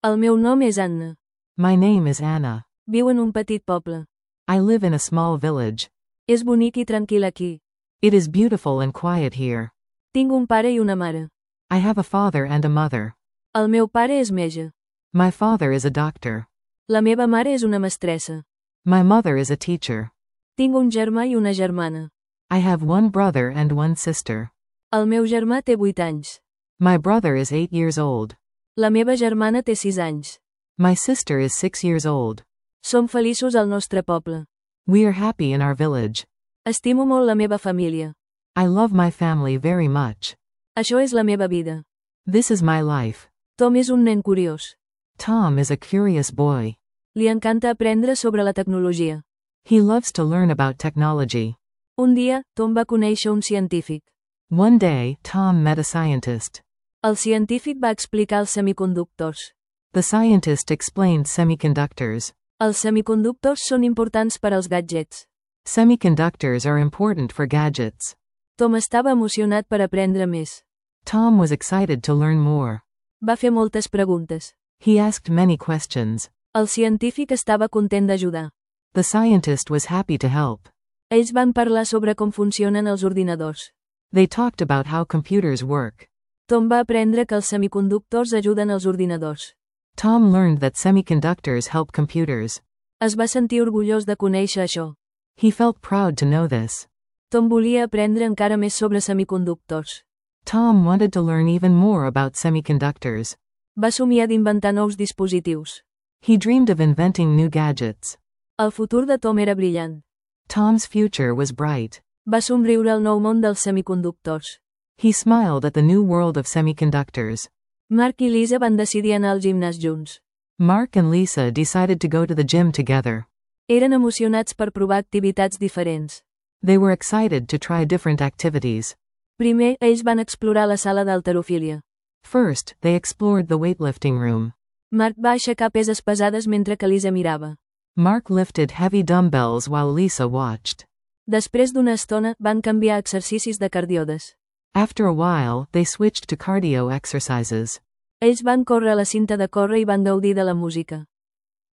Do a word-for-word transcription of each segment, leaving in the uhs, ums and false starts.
El meu nom és Anna. My name is Anna. Viu en un petit poble. I live in a small village. És bonic i tranquil aquí. It is beautiful and quiet here. Tinc un pare i una mare. I have a father and a mother. El meu pare és metge. My father is a doctor. La meva mare és una mestressa. My mother is a teacher. Tinc un germà i una germana. I have one brother and one sister. El meu germà té vuit anys. My brother is eight years old. La meva germana té sis anys. My sister is six years old. Som feliços al nostre poble. We are happy in our village. Estimo molt la meva família. I love my family very much. Això és la meva vida. This is my life. Tom és un nen curiós. Tom is a curious boy. Li encanta aprendre sobre la tecnologia. He loves to learn about technology. Un dia, Tom va conèixer un científic. One day, Tom met a scientist. El científic va explicar els semiconductors. The scientist explained semiconductors. Els semiconductors són importants per als gadgets. Semiconductors are important for gadgets. Tom estava emocionat per aprendre més. Tom was excited to learn more. Va fer moltes preguntes. He asked many questions. El científic estava content d'ajudar. The scientist was happy to help. Ells van parlar sobre com funcionen els ordinadors. They talked about how computers work. Tom va aprendre que els semiconductors ajuden els ordinadors. Tom learned that semiconductors help computers. Es va sentir orgullós de conèixer això. He felt proud to know this. Tom volia aprendre encara més sobre semiconductors. Tom wanted to learn even more about semiconductors. Va somiar d'inventar nous dispositius. He dreamed of inventing new gadgets. El futur de Tom era brillant. Tom's future was bright. Va somriure al nou món dels semiconductors. He smiled at the new world of semiconductors. Mark i Lisa van decidir anar al gimnàs junts. Mark and Lisa decided to go to the gym together. Eren emocionats per provar activitats diferents. They were excited to try different activities. Primer, ells van explorar la sala d'halterofília. First, they explored the weightlifting room. Mark va aixecar peses pesades mentre que Lisa mirava. Mark lifted heavy dumbbells while Lisa watched. Després d'una estona, van canviar a exercicis de cardiodes. After a while, they switched to cardio exercises. Ells van córrer a la cinta de córrer i van gaudir de la música.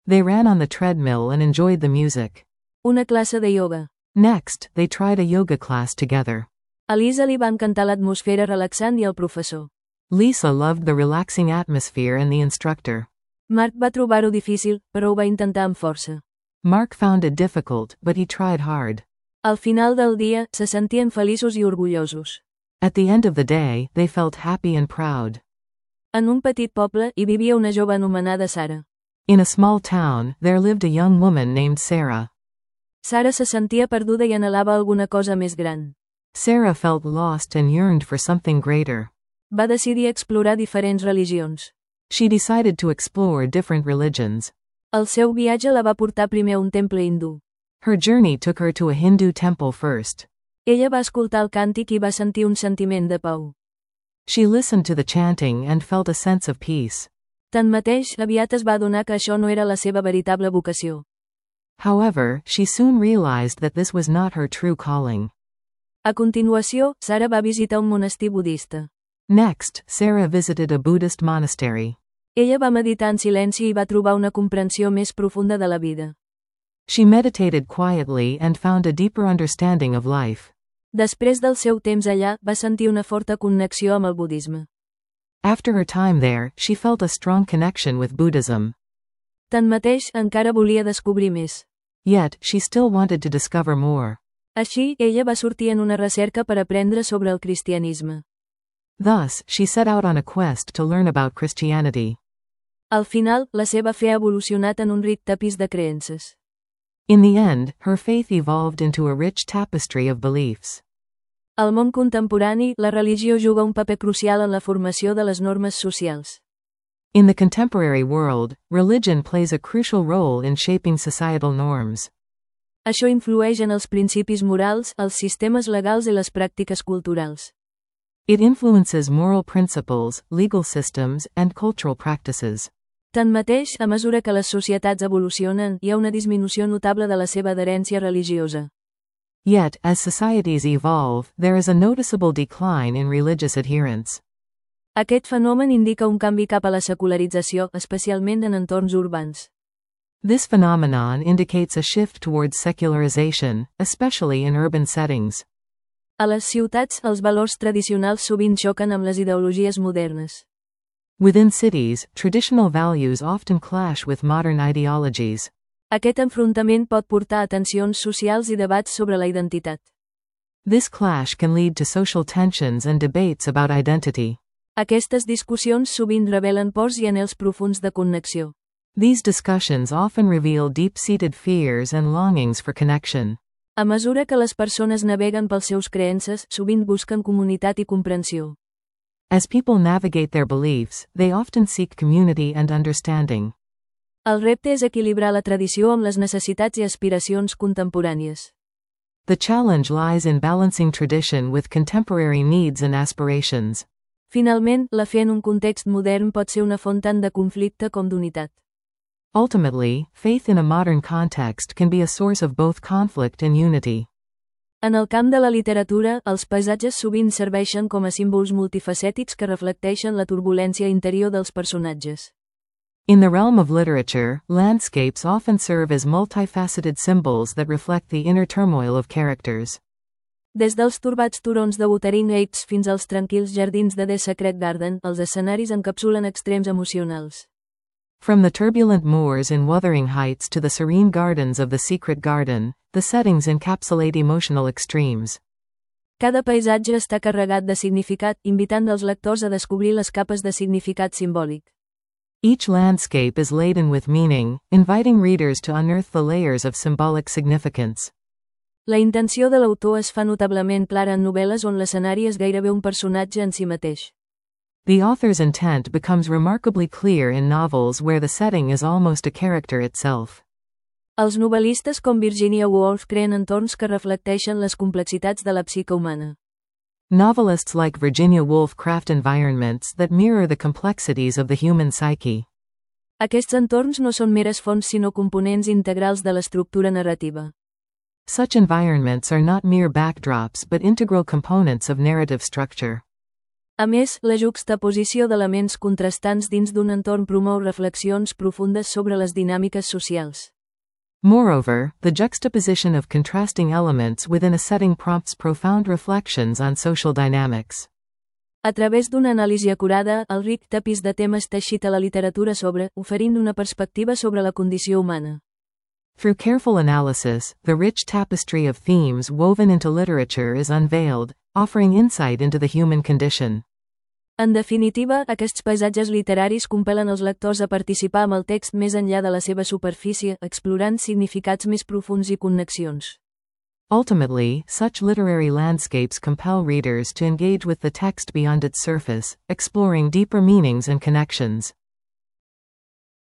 They ran on the treadmill and enjoyed the music. Una classe de ioga. Next, they tried a yoga class together. A Lisa li va encantar l'atmosfera relaxant i el professor. Lisa loved the relaxing atmosphere and the instructor. Mark va trobar-ho difícil, però ho va intentar amb força. Mark found it difficult, but he tried hard. Al final del dia, se sentien feliços i orgullosos. At the end of the day, they felt happy and proud. En un petit poble, hi vivia una jove anomenada Sara. In a small town, there lived a young woman named Sarah. Sara se sentia perduda i anhelava alguna cosa més gran. Sarah felt lost and yearned for something greater. Va decidir explorar diferents religions. She decided to explore different religions. El seu viatge la va portar primer a un temple hindú. Her journey took her to a Hindu temple first. Ella va escoltar el càntic i va sentir un sentiment de pau. She listened to the chanting and felt a sense of peace. Tanmateix, aviat es va adonar que això no era la seva veritable vocació. However, she soon realized that this was not her true calling. A continuació, Sara va visitar un monestir budista. Next, Sarah visited a Buddhist monastery. Ella va meditar en silenci i va trobar una comprensió més profunda de la vida. She meditated quietly and found a deeper understanding of life. Després del seu temps allà, va sentir una forta connexió amb el budisme. After her time there, she felt a strong connection with Buddhism. Tanmateix, encara volia descobrir més. Yet, she still wanted to discover more. Així, ella va sortir en una recerca per aprendre sobre el cristianisme. Thus, she set out on a quest to learn about Christianity. Al final, la seva fe ha evolucionat en un ric tapís de creences. In the end, her faith evolved into a rich tapestry of beliefs. Al món contemporani, la religió juga un paper crucial en la formació de les normes socials. In the contemporary world, religion plays a crucial role in shaping societal norms. Això influeix en els principis morals, els sistemes legals i les pràctiques culturals. It influences moral principles, legal systems, and cultural practices. Tanmateix, a mesura que les societats evolucionen, hi ha una disminució notable de la seva adherència religiosa. Yet, as societies evolve, there is a noticeable decline in religious adherence. Aquest fenomen indica un canvi cap a la secularització, especialment en entorns urbans. This phenomenon indicates a shift towards secularization, especially in urban settings. A les ciutats, els valors tradicionals sovint xoquen amb les ideologies modernes. Within cities, traditional values often clash with modern ideologies. Aquest enfrontament pot portar a tensions socials i debats sobre la identitat. This clash can lead to social tensions and debates about identity. Aquestes discussions sovint revelen pors i anhels profuns de connexió. These discussions often reveal deep-seated fears and longings for connection. A mesura que les persones naveguen pels seus creences, sovint busquen comunitat i comprensió. As people navigate their beliefs, they often seek community and understanding. El repte és equilibrar la tradició amb les necessitats i aspiracions contemporànies. The challenge lies in balancing tradition with contemporary needs and aspirations. Finalment, la fe en un context modern pot ser una font tant de conflicte com d'unitat. Ultimately, faith in a modern context can be a source of both conflict and unity. En el camp de la literatura, els paisatges sovint serveixen com a símbols multifacètics que reflecteixen la turbulència interior dels personatges. In the realm of literature, landscapes often serve as multifaceted symbols that reflect the inner turmoil of characters. Des dels torbats turons de Wuthering Heights fins als tranquils jardins de The Secret Garden, els escenaris encapsulen extrems emocionals. From the turbulent moors in Wuthering Heights to the serene gardens of the Secret Garden, the settings encapsulate emotional extremes. Cada paisatge està carregat de significat, invitant els lectors a descobrir les capes de significat simbòlic. Each landscape is laden with meaning, inviting readers to unearth the layers of symbolic significance. La intenció de l'autor es fa notablement clara en novel·les on l'escenari és gairebé un personatge en si mateix. The author's intent becomes remarkably clear in novels where the setting is almost a character itself. Els novel·listes com Virginia Woolf creen entorns que reflecteixen les complexitats de la psique humana. Novelists like Virginia Woolf craft environments that mirror the complexities of the human psyche. Aquests entorns no són meres fonts sinó components integrals de l'estructura narrativa. Such environments are not mere backdrops but integral components of narrative structure. A més, la juxtaposició d'elements contrastants dins d'un entorn promou reflexions profundes sobre les dinàmiques socials. Moreover, the juxtaposition of contrasting elements within a setting prompts profound reflections on social dynamics. A través d'una anàlisi acurada, el ric tapís de temes teixit a la literatura sobre, oferint una perspectiva sobre la condició humana. Through careful analysis, the rich tapestry of themes woven into literature is unveiled, offering insight into the human condition. En definitiva, aquests paisatges literaris compel·len els lectors a participar amb el text més enllà de la seva superfície, explorant significats més profunds i connexions. Ultimately, such literary landscapes compel readers to engage with the text beyond its surface, exploring deeper meanings and connections.